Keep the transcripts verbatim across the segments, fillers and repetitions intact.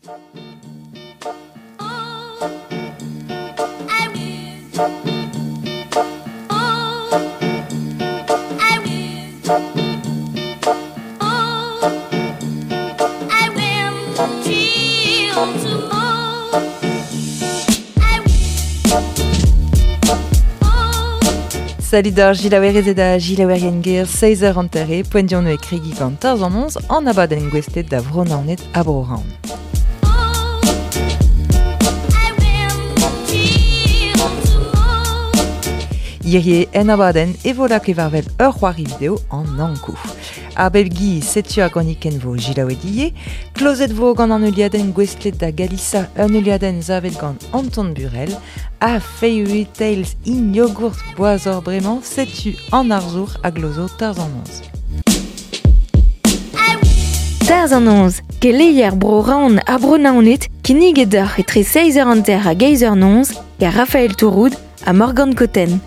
Salut d'ar gilaouerezed a gilaouerien ger seiz eur hanter poent dion e kregi gant tarz an onz an abadenn gouestlet da Vro-Naoned ha Bro-Raon. Hirie en abadenn e vo lak evarvel ur c'hoari video an ankou. Ar bep gi setu ar gronikenn vo gilaouet ie, klozet vo gant an euliadenn gouestlet da Galisa un euliadenn zavet gant Anton Burel, ha Fairy Tales in yogurt boazor bremañ setu an arzour a glozo tarz an onz. Tarz an onz, keleier Bro-Raon ha Bro-Naoned, kinniget d'ar etre seiz eur hanter hag eiz eur nonz, gant Raphaël Touroud ha Morgane Cotten.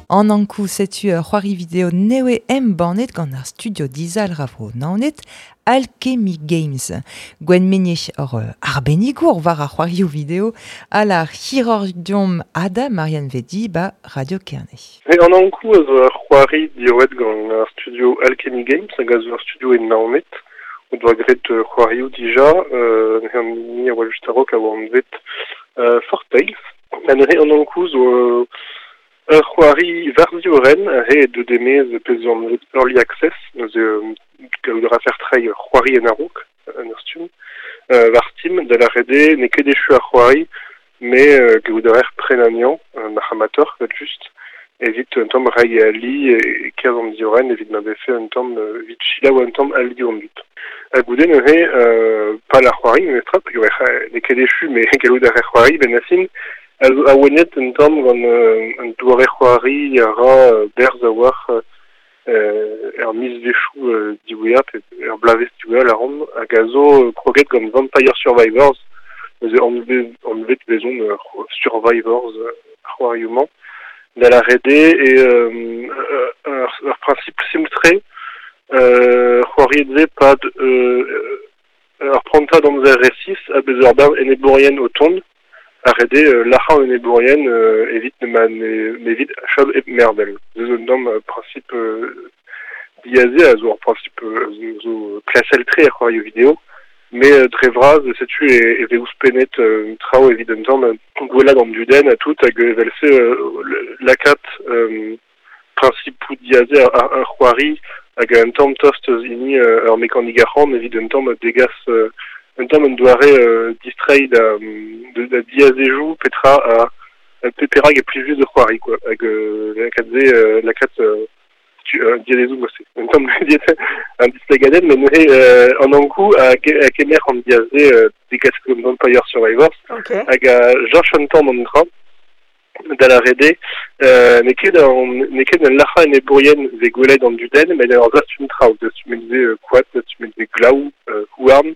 An ankou setu ur c'hoari video newe embannet gant ar studio dizal ravro Naoned, Alchemy Games. Gwen Meunier ur arbennigour war ar c'hoarioù video a la chirurgion Ada Marianne Vedi ba Radio Kerne. E an ankou a zo ur c'hoari diorret gant ar studio Alchemy Games hag a zo ur studio e Naoned o doa graet c'hoarioù dija, euh, an ni a oa just a-raok a oa anvet euh, Fort Tales. Ha neuze an ankou zo euh, ur c'hoari varzioren re de demez pezh zo anvet Early Access, neuze gallout a rafer treiñ c'hoari en a-raok, en ur stumm, euh, war Steam, da lâret eo n'eo ket echu ar c'hoari, mais euh, gallout a raer prenaniañ, un amateur, vet just, evit un tamm reiñ ali e kerzh an dioren, evit ma vefe un tamm, evit selaou un tamm ali an dud. Ha goude neuze, euh, pal ar c'hoari, memestra, peogwir n'eo ket echu, mais gallout a raer c'hoari, ben a fin, a zo awenet un tamm gant euh, un doare c'hoari a ra euh, berzh a-walc'h euh, er mizvezhioù euh, diwezhañ, pe er bloavezh diwezhañ lâran, hag a zo euh, kroget gant Vampire Survivors, neuze anvet, anvet vezont euh, Survivors euh, c'hoarioù-mañ, da lâret eo e euh, ur, ur principe simpl-tre, euh, c'hoariet vez pad euh, ur prantad amzer resis ha bez ur bern enebourien o tont, ar rede euh, lac'hañ enebourien euh, evit ne ma ne, evit chom hep mervel. Zeus un tamm euh, principe euh, diaze a zo ur principe euh, zo, zo klasel-tre ar c'hoarioù video, mais euh, dre vras setu e, e vez ouzhpennet euh, traoù evit un tamm gwelat an dudenn ha tout hag evel-se euh, lakaat euh, principou diaze ar, ar, ar c'hoari hag un tamm tost eus hini euh, ur mekanik arc'hant evit un tamm degas euh, un tamm un doare euh, distreiñ da, de, da diazejou petra a, a pe perak e plijus de c'hoari quoi hag euh, lakaat se euh, lakaat euh, tu euh, diazejou moi c'est un tamm un displegadenn mais neuze euh, an ankou a, a kemer an diaze euh, degas gant Vampire Survivors. Okay. Hag a George un tamm an dra da lâret eo euh, n'eo ket an, n'eo ket un lac'hañ enebourien vez gwelet an dudenn, met ur zastum traoù, dastumet vez euh, koad, dastumet vez glaou, euh, houarn,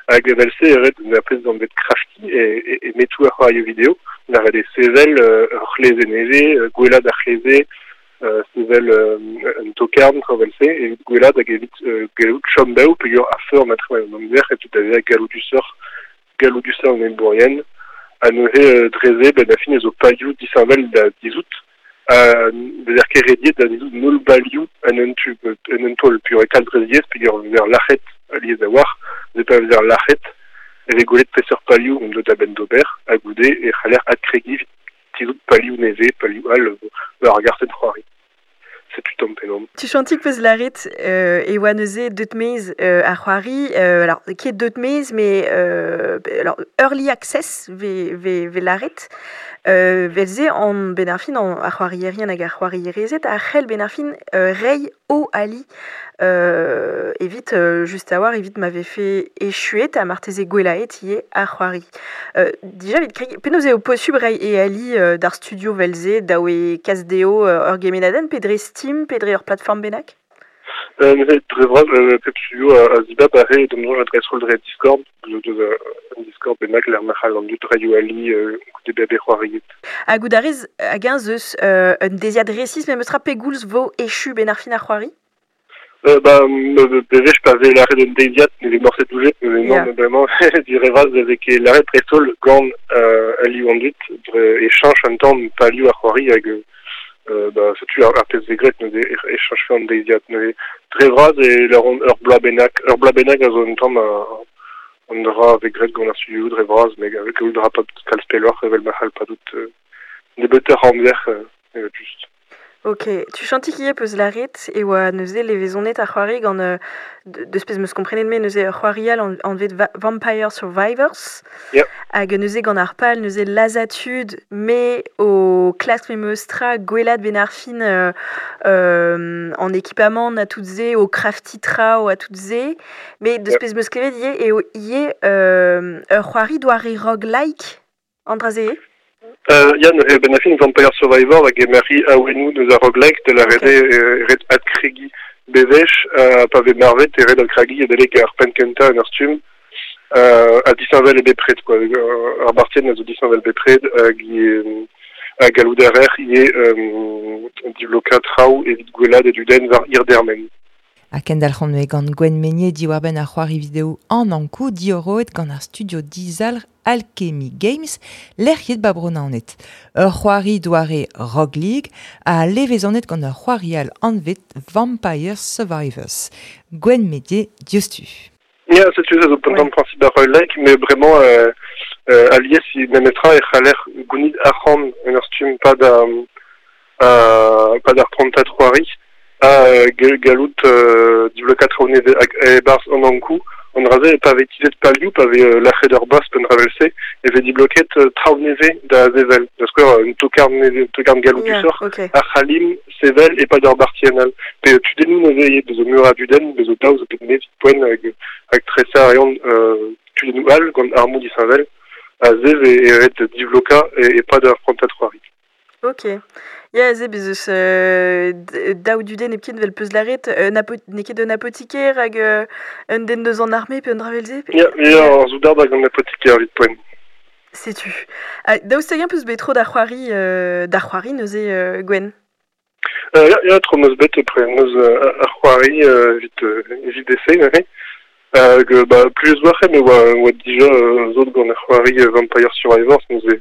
hag evel-se e ret un pezh d'anvet crafty e, e, e metoù ar c'hoarioù video, da lâret eo sevel euh, ur c'hleze nevez, euh, gwelat ar c'hleze, euh, sevel euh, un tokarn, traoù evel-se, evit gwelat hag evit euh, gallout chom bev peogwir ar feur ma tre an amzer, et tout a galloudusoc'h, galloudusoc'h an enebourien, ha neuze euh, dreze, ben a fin ez zo palioù disheñvel da dizout, ha bezer ket rediet da dizout nol balioù en un tu, en un taol, peogwir e kalz dreziez, peogwir vezer lac'het alies a-walc'h, ne pa vezer lac'het, e vez gwelet peseurt palioù on deut a-benn d'ober, ha goude e c'haller adkregiñ evit tizout palioù nevez, palioù all, war ar gartenn c'hoari. Setu tamm penaos. Tu chantik peus lâret euh, e oa neuze deut mez euh, ar c'hoari, euh, alors ket deut mez, mais euh, alors early access ve, ve, ve lâret, euh, vel-se an ben ar fin an ar c'hoarierien hag ar c'hoarierezed a c'hell ben ar fin euh, reiñ o ali euh, evit euh, just a-walc'h evit ma vefe echuet ha marteze gwelaet ivez ar c'hoari. Euh, dija evit kregi, penaos eo posubl reiñ e ali euh, d'ar studio vel-se daoue kas dezho euh, ur gemennadenn pe dre Steam pe dre ur plateforme bennak? Euh, neuze dre vras, euh, pep studio a, a zibab a re d'am soñj adres-roll dre Discord, zo deus un Discord bennak lec'h ma c'hall an dud reiñ o ali euh, goude bezañ bet c'hoariet. Ha goût a rez hag eñ zeus euh, un deziad resis, met meus tra pegoulz vo echu ben ar fin ar c'hoari? Euh, ba, bewech pa vez lâret un deiziad, ne vez morset doujet, mais non, yeah. Vraiment, du revaz avec lâret dreist-holl gant euh, alioù an dud, dre e cheñch an tamm palioù ar c'hoari hag euh, ba, setu ar, ar pezh vez graet neuze e cheñchfe an deiziad. Neuze dre vras e lâront ur bloaz bennak, ur bloaz bennak a zo un tamm an dra vez graet gant ar studioù dre vras, met kaout a ra kalz pelloc'h evel ma c'hall padout euh, nebeutoc'h amzer euh, evel just. Ok, tu chanti ivez peus lâret e oa neuze levezonet ar c'hoari gant euh, deus pezh 'meus komprenet me neuze ur c'hoari all anvet Va Vampire Survivors. Yeah. Hag neuze gant ar pal neuze lazhañ tud me o klask memes tra gwelat 'benn ar fin euh, euh, an ekipamant a tout se, o craftiñ traoù a tout se, met deus yeah. pezh 'meus klevet ivez eo ivez euh, ur c'hoari doare roguelike an dra-se eo? Euh, ya, neuze 'benn ar fin Vampire Survivor hag emari awennoù deus ar roguelike da lâret eo okay. ret adkregiñ bewech uh, pa vez marvet e ret adkregiñ adalek ar penn kentañ en ur stumm uh, ha disheñvel eo bepred quoi. Ar bartienn a zo disheñvel bepred hag hag gallout a reer ivez um, divlokañ traoù evit gwelat e dudenn war hir dermen. Ha kendalc'homp neuze gant Gwenn Meynier diwar-benn ar c'hoari video an Ankou diorroet gant ar studio dizalc'h Alchemy Games lec'hiet ba Bro-Naoned. Ur c'hoari doare Rogue League ha levezonet gant ur c'hoari all anvet Vampire Survivors. Gwenn Meynier diouzhtu. Ya, setu se zo un tamm principe ar roguelike, mais vraiment euh, euh, alies memestra e c'haller gounit arc'hant en ur stumm pa da euh, pa d'ar prantad c'hoari ha gallout euh, divlokañ traoù nevez hag e-barzh an Ankou an dra-se pa vez tizhet palioù, pa vez euh, lâret ur boss pe un dra evel-se, e vez dibloket euh, traoù nevez da sevel. Da skouer, un tokarn nevez, un tokarn galloudusoc'h, yeah, okay. a c'hallimp sevel e-pad ur bartienn all. Pe tudennoù neuze ivez, bezo meur a dudenn, bezo daou zo bet nevez poent hag, hag tresañ a reont euh, tudennoù all gant armoù disheñvel, a zev e, e ret divlokañ e-pad ur prantad c'hoari. Ok. Ya, aze bez eus euh, daou dudenn hepken 'vel peus lâret, un apo n'eo ket un apotikaer hag euh, un den deus an arme pe un dra evel-se? Ya, ya, ar soudard hag an apotikaer evit poent. Setu. Ha daoust hag-eñ peus bet tro da c'hoari, euh, da c'hoari neuze euh, Gwenn? Euh, ya, ya, tro 'm eus bet pre 'm eus euh, ar c'hoari euh, evit, euh, evit deseñ neuze. Hag euh, ba, plus oa c'he, me oa, oa dija euh, zot gant ar c'hoari Vampire Survivors neuze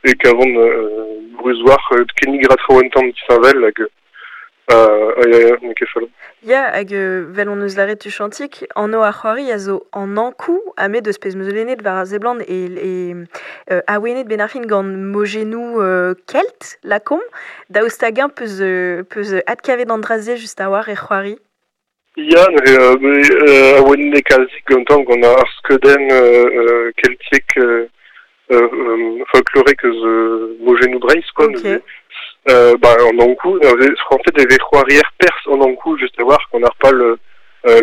e kavont euh, bruz-war euh, kennig ra traoù un tamm disheñvel hag euh, ya, ya, n'eo ket fall. Ya, hag euh, 'vel hon eus lâret tuchantik, anv ar c'hoari a zo an Ankou, ha me deus pezh 'm eus lennet war ar seblant e, e euh, awenet 'benn ar fin gant mojennoù euh, kelt, lakaomp, daoust hag-eñ peus, euh, peus adkavet an dra-se just a-walc'h er c'hoari? Ya, neuze euh, euh, awenet eo kalzik gantañ gant ar skeudenn euh, euh, keltiek euh, euh, folklorek eus euh, mojennoù Breizh, quoi. Ok. Neuze. Euh, ba, an Ankou, neuze, en fait, e vez c'hoarier perzh an Ankou just a-walc'h gant ar pal euh,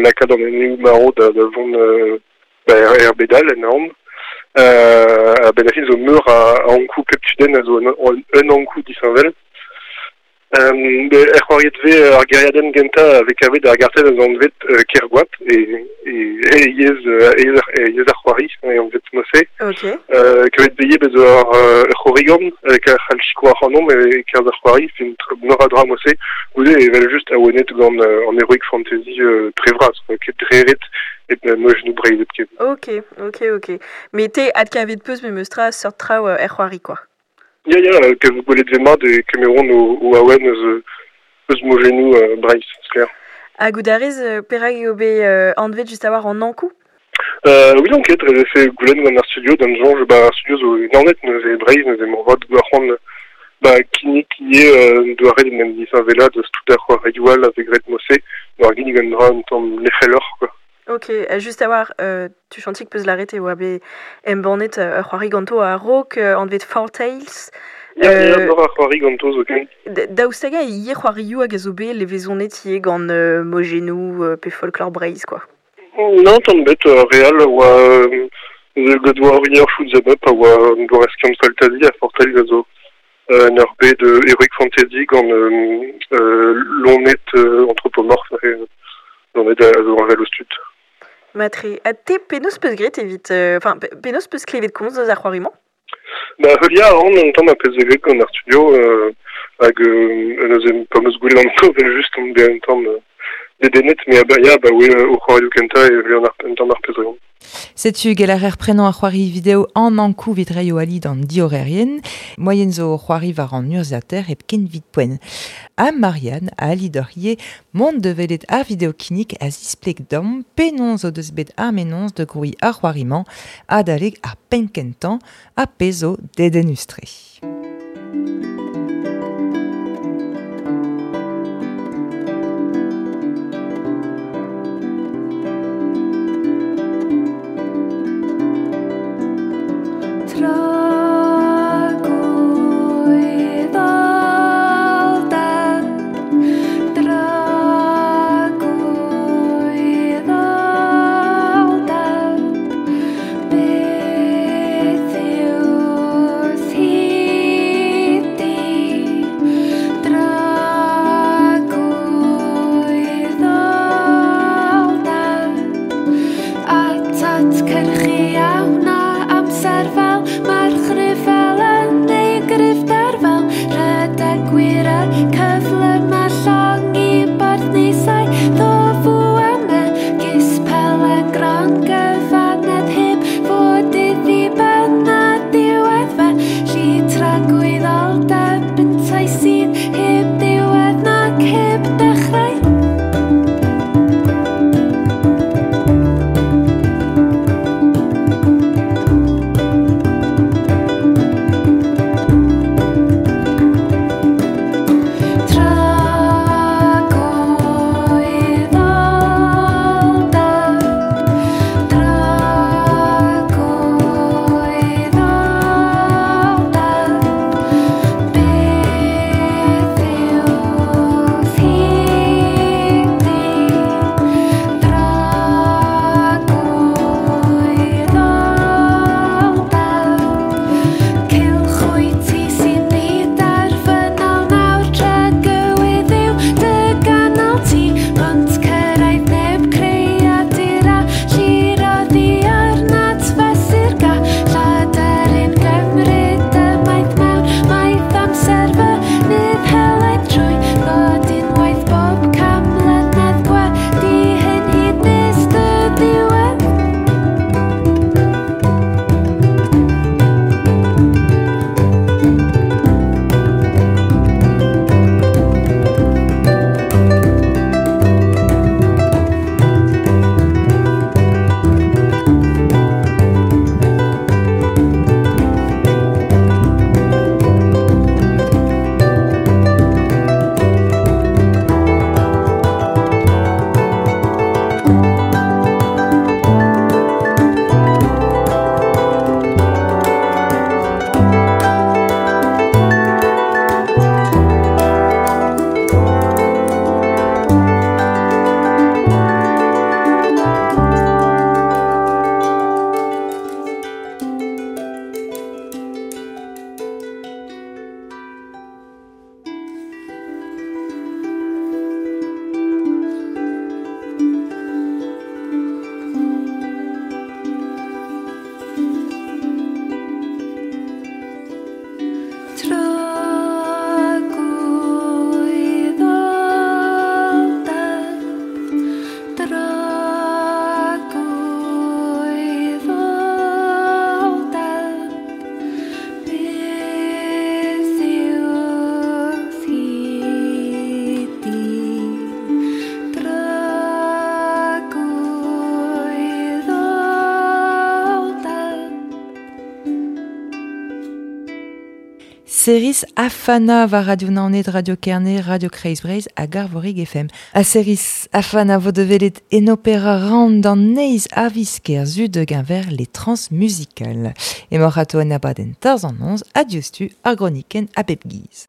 lakaat an eneoù marv da, da vont euh, ba, er, er bed all en aon. Euh, a-benn ar fin zo meur a, a Ankou pep tudenn a zo un, un, un Ankou disheñvel. Euh, er c'hoariet vez ar gêriadenn gentañ a vez kavet ar gartenn a zo anvet euh, Kergoat e, e, e yezh, e yezh, e yezh ar c'hoari, e anvet mod-se. Ok. Euh, kavet vez bez ur ur c'horrigan hag a c'hall sikour ac'hanomp e kerzh ar c'hoari, fin meur a dra mod-se, goude evel just awenet gant euh, an heroic fantasy euh, dre vras, quoi, ket dre ret et mojennoù Breizh hepken. Ok, ok, ok. Met te adkavet peus memes tra seurt traoù er c'hoari, quoi. Ya, ya, kev gwelet vez mat e kemeront o, o awen eus, eus mojennoù euh, Breizh, sklaer. Ha goût a rez, euh, perak eo bet euh, anvet just a-walc'h an Ankou? Euh, oui, donc, dre vefe goulenn gant ar studio, d'an soñj, ba, ar studio zo Naoned neuze Breizh, neuze moarvat gwar c'hoant ba, kinnig ivez euh, doare d'en em disheñvelañ deus tout ar c'hoarioù all a vez graet mod-se, war ginnig un dra un tamm lec'heloc'h, quoi. Ok, just a-walc'h, euh, tuchantik peus lâret e oa bet embannet ur c'hoari ganto a-raok euh, anvet Four Tales. Ya, ya, Euh, meur a c'hoari ganto zoken. Daoust hag-eñ ivez c'hoarioù hag a zo bet levezonet ivez gant euh, mojennoù euh, pe folklore Breizh, quoi. Non, tamm ebet, euh, re all oa euh, The God Warrior Shoot 'em Up a oa un doare skiant faltazi ha Four Tales a zo euh, un ur bed euh, heroic fantasy gant euh, euh, loened euh, anthropomorphe euh, loened a zo heñvel ouzh tud. Matre, ha te penaos peus graet evit... Enfin, euh, penaos peus klevet komz eus ar c'hoari-mañ? Ba, heuliañ a ran un tamm ar pezh vez graet gant ar studio euh, hag euh, neuze pa 'm eus gwelet an evel just on bet un tamm euh, dedennet, me ba, ya, ba oe o c'hoarioù kentañ e vlean ar, un tamm ar pezh reont. Setu gell ar er prenañ ar c'hoari video an ankou vit reio ali d'an diorerien, moyen zo c'hoari war an urzhiater hep ken vit poent. Ha Marianne a ali d'ur ie mont de velet ar video kinnig a zispleg dam penaos o deus bet ar menons de groui ar c'hoarimañ adalek ar penn kentañ ha pezh zo dedennus-tre. Seris Afana va Radio Naoned, Radio Kerne, Radio Kreiz Breizh hag Arvorig F M. A Seris Afana vo develet en opera round d'an neiz avisker zu de genver les transmusicales. E mor ato en abadenn tarz an onz, adiostu ar groniken a bep giz.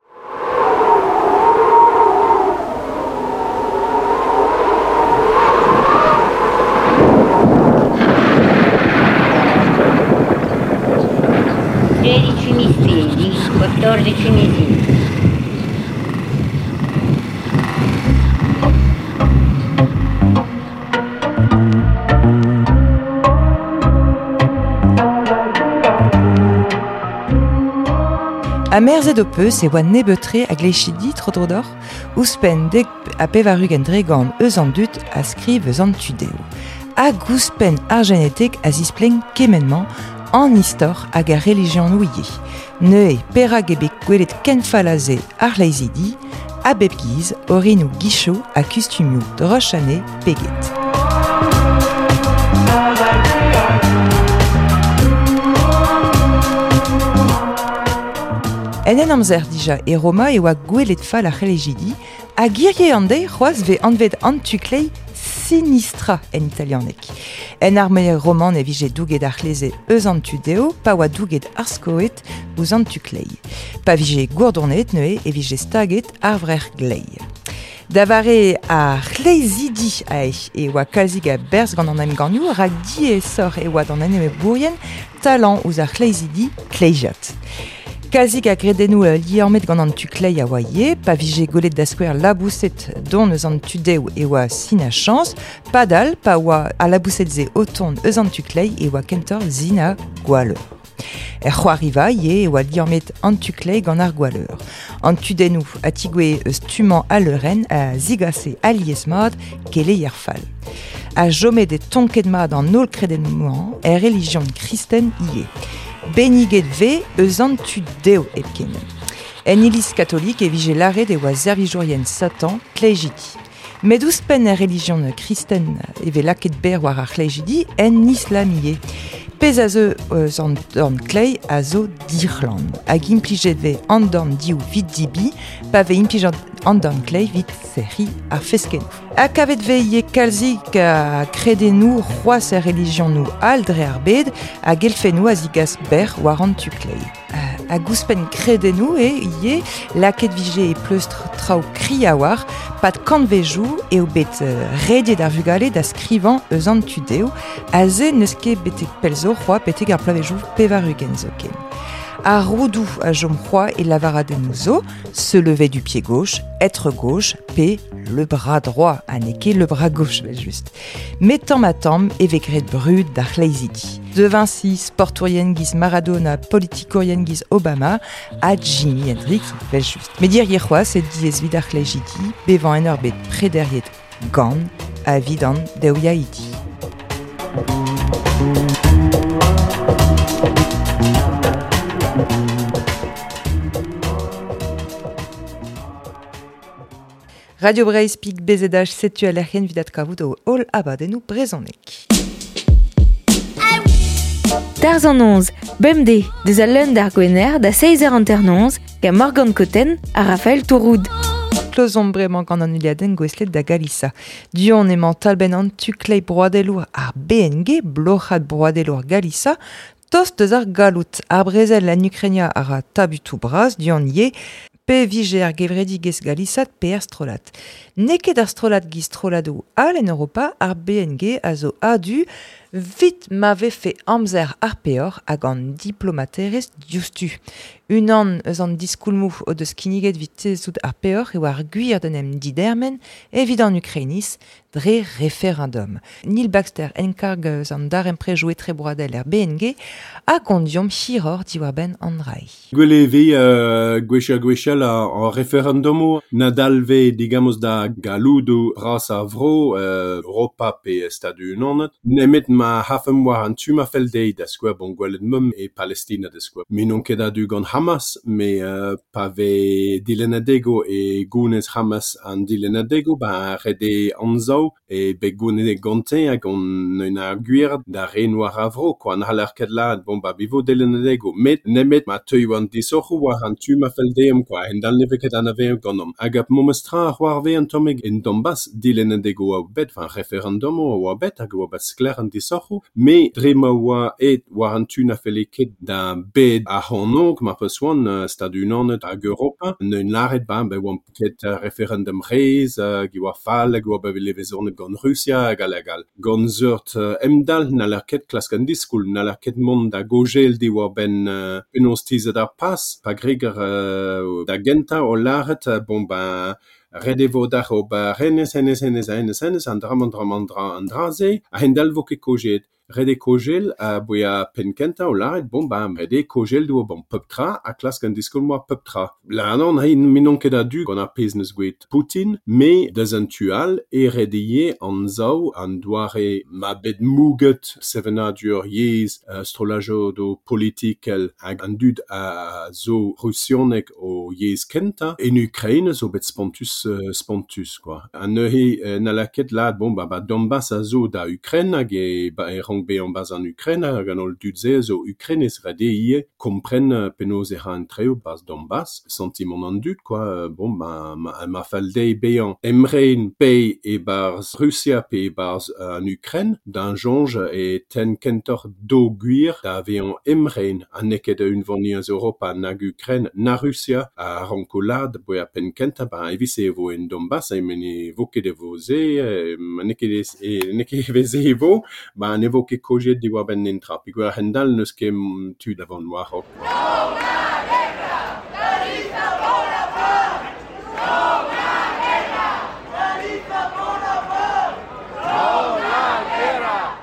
tredici missili, quattordici missili. A merzet o peus e oa nebeut-tre a glechidi tro-dro d'or, ouzhpenn dek ha pevar-ugent dre gant eus an dud a skriv eus an tudeo. Hag ouzhpenn ar genetek a zisplegn kement-mañ an istor hag ar relijionoù ivez. Neuze perak eo bet gwelet ken fall aze ar c'hleizidi, a bep giz, orinoù gicho ha kustumioù droch anezhe peget. En en amzer dija e Roma e oa gwelet fall ar c'hlejidi, hag hirie an deiz c'hoazh vez anvet an tu-kleiz sinistra en italianeg. En arme roman e vije douget ar c'hleze eus an tu deo, pa oa douget ar skoet ouzh an tu kleiz. Pa vije gourdonnet neuze e vije staget ar vrec'h glei. Da vare ar c'hleizidi ae e oa kalzik a berzh gant an emgannioù rak diaesoc'h e oa d'an enebourien talañ ouzh ar c'hleizidi kleizat. Kalzik a gredennoù liammet gant an tu kleiz a oa ivez, pa vije gwelet da skouer laboused don eus an tu dev e oa sin a chañs, padal pa oa al laboused-se o tont eus an tu kleiz e oa kentoc'h sin a gwalleur. Er c'hoariva ivez e oa liammet an tu kleiz gant ar gwalleur. An tudennoù a tigouezhe eus tu-mañ al leurenn a zigase alies-mat keleier fall. A chomet e tonket mat an holl kredennoù-mañ er relijion kristen ivez. Benniget vez eus an tu deo hepken. En iliz katolik e vije lâret e oa servijourien Satan kleizidi. Met ouzhpenn er relijion kristen e vez lakaet berr war ar c'hleizidi en islam ivez. Pezh a zeu eus an dorn kleiz a zo dic'hlan. Hag implijet vez an dorn div 'vit dibi, pa vez implijet an dorn kleiz 'vit serriñ ar feskennoù. Ha kavet vez ivez kalzik a kredennoù c'hoazh er relijionoù all dre ar bed hag elfennoù a zigas berr war an tu kleiz. Hag ouzhpenn kredennoù eo ivez lakaet vije e pleustr traoù kri a-walc'h, pad kantvejoù eo bet rediet ar vugale da skrivañ eus an tu deo, aze n'eus ket betek pell zo c'hoazh betek ar bloavezhioù pevar-ugent zoken. Ar roudoù a chom c'hoazh e lavaradennoù zo, se lever du pied gauche, être gauche, pe le bras droit, ha n'eo ket le bras gauche, vel just. Met tamm ha tamm e vez graet brud d'ar c'hleizidi. De Vinci, sportourien giz Maradona, politikourien giz Obama, ha Jimi Hendrix, vel just. Met hirie c'hoazh e diaes 'vit ar c'hleizidi, bevañ en ur bed prederiet gant ha 'vit an deouiaidi. Radio Breizh pik B Z H setu a lec'hienn 'vit adkavout o holl abadennoù brezhonek. Tarzh an noz, bemdez, deus al leun d'ar Gwener da seizh eur hanternoz, gant Morgane Cotten ha Raphaël Touroud. Klozomp bremañ gant an heuliadenn gouestlet da Galisa. Du-hont emañ talbenn an tu kleiz broadelour ar B N G, bloc'had broadelour Galisa, tost eus ar galloud. Ar brezel en Ukrainia a ra tabutoù bras du-hont ivez, pe vije ar gevredigezh galisat pe ar strollad. N'eo ket ar strollad giz strolladoù all en Europa, ar B N G a zo a-du 'vit ma vefe amzer ar peoc'h hag an diplomaterezh diouzhtu. Unan eus an diskoulmoù o deus kinniget 'vit tizhout ar peoc'h eo ar gwir d'en em didermen evit an Ukrainiz dre referendum. Neil Baxter enkarg eus an darempredoù etrebroadel er B N G a gont deomp hiroc'h diwar-benn an dra. Gwell e vez euh, gwech ha gwechall ar referendumoù nadal vez digamos da galloudoù bras ar vro, euh, Europa pe Stadoù-Unanet, nemet ma hafemp war an tu ma fell dezhi da skouer bon gwelet meump e Palestina da skouer. Me n'on ket a-du gant Hamas, me euh, pa vez dilennadego e gounez Hamas an dilennadego, ba ret eo anzav e bet gounezet gante hag on un ar gwir da ren war ar vro, quoi. N'haller ket lâret, bon, ba bivo dilennadego, met nemet ma teuio an disoc'hoù war an tu ma fell dezhi, quoi. Hend-all ne vez ket anavezet ganeomp. Hag ar memes tra a c'hoarvez an tammig en Donbass, dilennadego a oa bet, enfin referendum a oa bet, hag a oa bet sklaer an disoc'hoù, me dre ma oa aet war an tu na felle ket da bed ar c'hornôg, mar peus oan, Stadoù-Unanet hag Europa, neun lâret ba, be oamp ket referendum reizh, hag e oa fall, hag e oa bet levezonet gant Rusia hag all hag all. Gant seurt emdalc'h n'haller ket klask an diskoulm, n'haller ket mont da gogel diwar-benn euh, penaos tizhet ar pas, pa greger euh, da gentañ o lâret, bon ben, ret e vo d'ac'h ober hennezh, hennezh, hennezh, hennezh, hennezh, an dra-mañ, dra-mañ, dra, an dra-se, a-hend-all vo ket kojet. Rede kogel a boea penkenta o laret, bon, ba, rede kogel do bon pep tra, a klask an diskol moa pep tra. La anon, hei, minon ket a du gant ar pezh neus gweet Poutine, me deus an tual e redeye an zao an doare ma bet mouget sevenadur yez uh, strolajo do politikel hag an dud a zo rusionek o yez kenta en Ukraine zo bet spontus uh, spontus quoi. An neuze uh, na laket la bon ba, ba Donbass a zo da Ukraine hag e ba e rank be an baz an Ukraine hag an ol dud ze zo Ukraine ez rede ie kompren penaos e ra an treo baz Donbass sentiment an dud quoi bon ba ma, ma fall dei bean emrein pe e barz Russia pe e barz an Ukraine d'un jonge e ten kentor do gwir da vean emrein an neket un voniaz Europa nag Ukraine na Russia a rankolad boa pen kenta ba evis e vo en Donbass e mene vo ket e vo ze ma neket e neket e veze e vo ba ne vo ket kojet diwar ben nentra pigwer hendal neus ket tud avant war hok.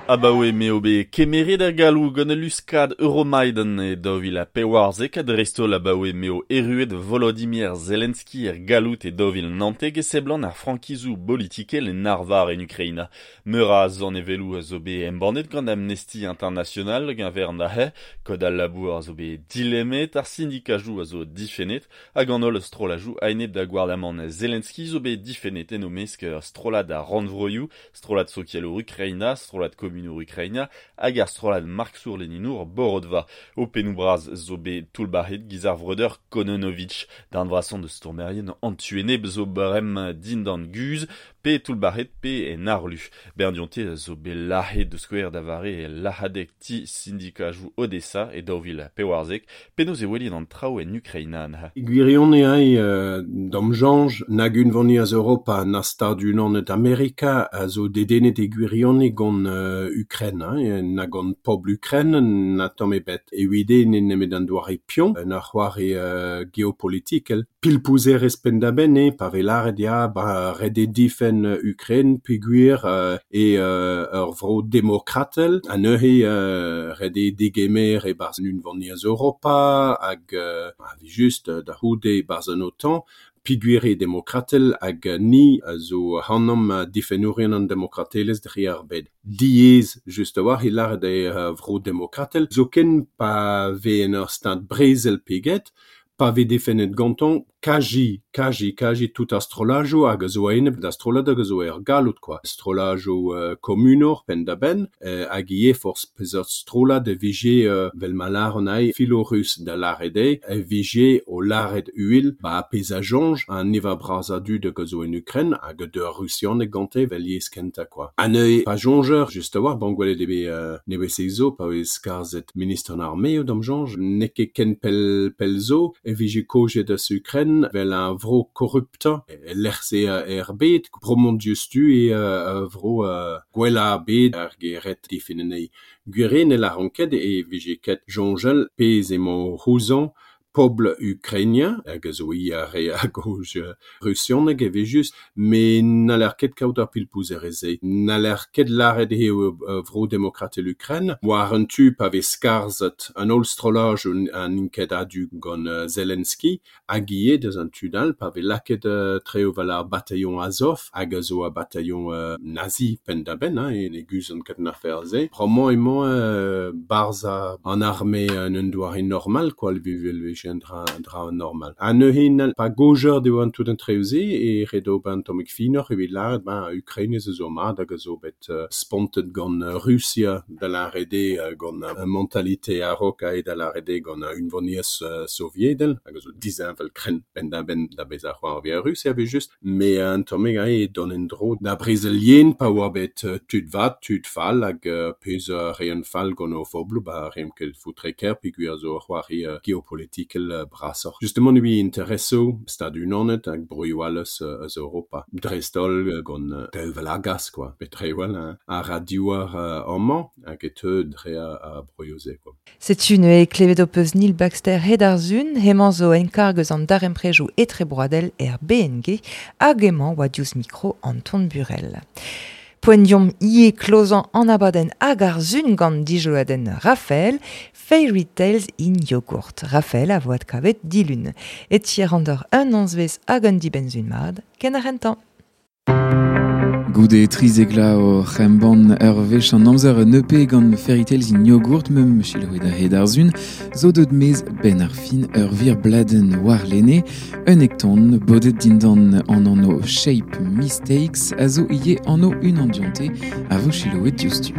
Abaoe meo bet kemeret ar galou gant luskad Euromaidan e daou vil ha pevarzek a dreistholl abaoe meo erruet Volodymyr Zelensky er galout e daou vil naontek e seblant ar frankizou politikel en arvar en Ukraina. Meur a zan evelou a zo bet embannet gant Amnesty International gant ver nahe, kod al labour a zo bet dilemmet, ar syndikajou a zo difennet, hag an holl strolajou ainet da gouarnamant Zelensky zo bet difennet en o mesk strolad ar rannvroioù, strolad sokialour Ukraina, strolad komunour Ukraina, hag ar strolad marksour leninour Borodva. O pennou braz zo bet toullbac'het giz ar vreudeur Kononovitch, d'an vrason de stourmerien antueneb zo barem dindan guz, pe toullbac'het pe en arlu. Berdionte zo bet lahet de skouer da vare e lahadek ti syndikajou Odessa e daou vil pevarzek, penaos e welin an traoù en Ukraina anha. Gwirion eo euh, dam janj nag unvaniaz Europa na Stad-Unanet Amerika a zo dedennet e gwirion gant euh, Ukraine, hein, na gant pobl Ukraine na tamm ebet. E uide ne nemet an doare pion, na c'hoare euh, geopolitikel. Pilpouzer ez penn-da-benn e, pa vez lâret ya, ba ret eo difenn Ukraine peogwir euh, e euh, ur vro demokratel, ha neuze euh, ret eo degemer e-barzh an unvaniezh Europa hag euh, a vi just da c'houde e-barzh an OTAN, peogwir eo demokratel hag ni a zo ac'hanomp difennourien an demokratelezh dre ar bed. Diaes just a-walc'h e lâret eo uh, vro demokratel, zoken pa vez en ur stad brezel peget, pa vez defennet gantañ kaji, kaji, kaji tout ar strolajoù hag a zo a-enep da strollad hag a zo er galout quoi. Strolajoù euh, komunour penn-da-benn euh, hag ivez forzh peseurt strollad e vije euh, vel ma lâran ae filorus da lâret eo, e vije o lâret uhel ba pezh a soñj an niver bras a dud hag a zo en Ukraine hag a deur rusianeg gante vel yezh kentañ quoi. Ha neuze pa soñjer just a-walc'h bon gwelet eo bet euh, nevez zo pa vez skarzhet ministr an armeoù da'm soñj n'eo ket ken pell, pell zo e vije kojet eus Ukraine vel un vro korruptañ e lec'h-se er bed bromont diouzhtu e uh, vro uh, gwellañ bed ar geret difenn anezhi. Gwir eo ne lâran ket e vije ket soñjal pezh emañ c'houzañ pobl ukrainien, hag a zo i ar re a goj rusianeg e vez just, me n'haller ket kaout ar pilpouzer-se. N'haller ket lâret eo vro demokratel Ukraine, war un tu pa vez skarzhet an holl strollaj an int ket a-du gant Zelensky, hag ivez deus an tu dall pa vez lakaet uh, treo vel ar bataillon Azov, hag a zo ar bataillon uh, nazi penn-da-benn, hein, e ne guzont ket an afer-se. Bremañ emañ uh, barzh an arme en un doare normal, quoi, vel vije un dra, dra normal. Ha neuze n'hall pa gojer eo an tout an treo-se e ret ober un tammig finoc'h evit lâret ben Ukraine ez zo mat hag a zo bet uh, spontet gant Russia da lâret eo gant uh, mentalité a-raok aet da lâret eo gant uh, unvaniezh uh, soviedel hag a zo disheñvel krenn penn-da-benn da bezañ c'hoarvez Russia evel just, me un tammig aet dont en-dro da brezel yen pa oa bet uh, tud vat, tud fall hag uh, pezh uh, reont fall gant o fobloù ba reont ket foutre ker peogwir zo c'hoari uh, geopolitikel brasoc'h. Justement evit interesoù Stad-Unanet hag broioù all eus, eus Europa. Dreist-holl gant tevel ar gas, quoi. Bet re hein, ar radioar uh, amañ hag e teu dre a, a broioù-se, quoi. Setu neuze klevet ho peus Neil Baxter hed ar zun, hemañ zo enkarg eus an daremprejoù etrebroadel er B N G hag emañ oa diouzh mikro Anton Burel. Poent diomp ie klozan an abadenn hag ar zun gant dijoloadenn Raphaël, Fairy Tales in Yogurt. Raphaël a voad kavet dilun. Et tier an d'or un onzvez hag un dibenzun mad, ken ar rentan. Goude trizegla o c'hemban ur wech an amzer un E P gant Fairy Tales in Yogurt meum chiloet a hed ar zun, zo deut mez ben ar fin ur vir bladen war lene, un ekton bodet dindan an anno Shape Mistakes a zo ie anno un andionte a vo chiloet diouzhtu.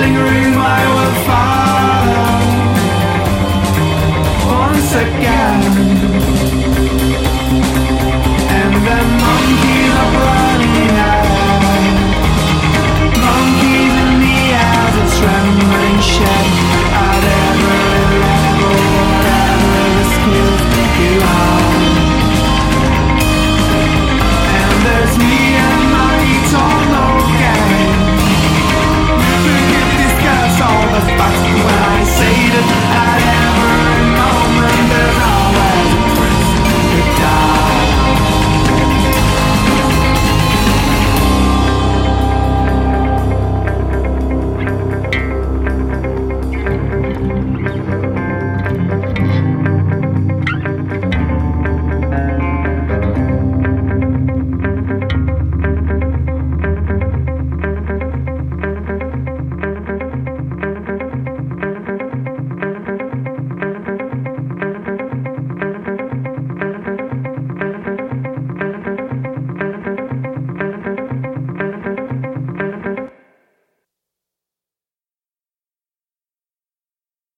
Room I will follow once again.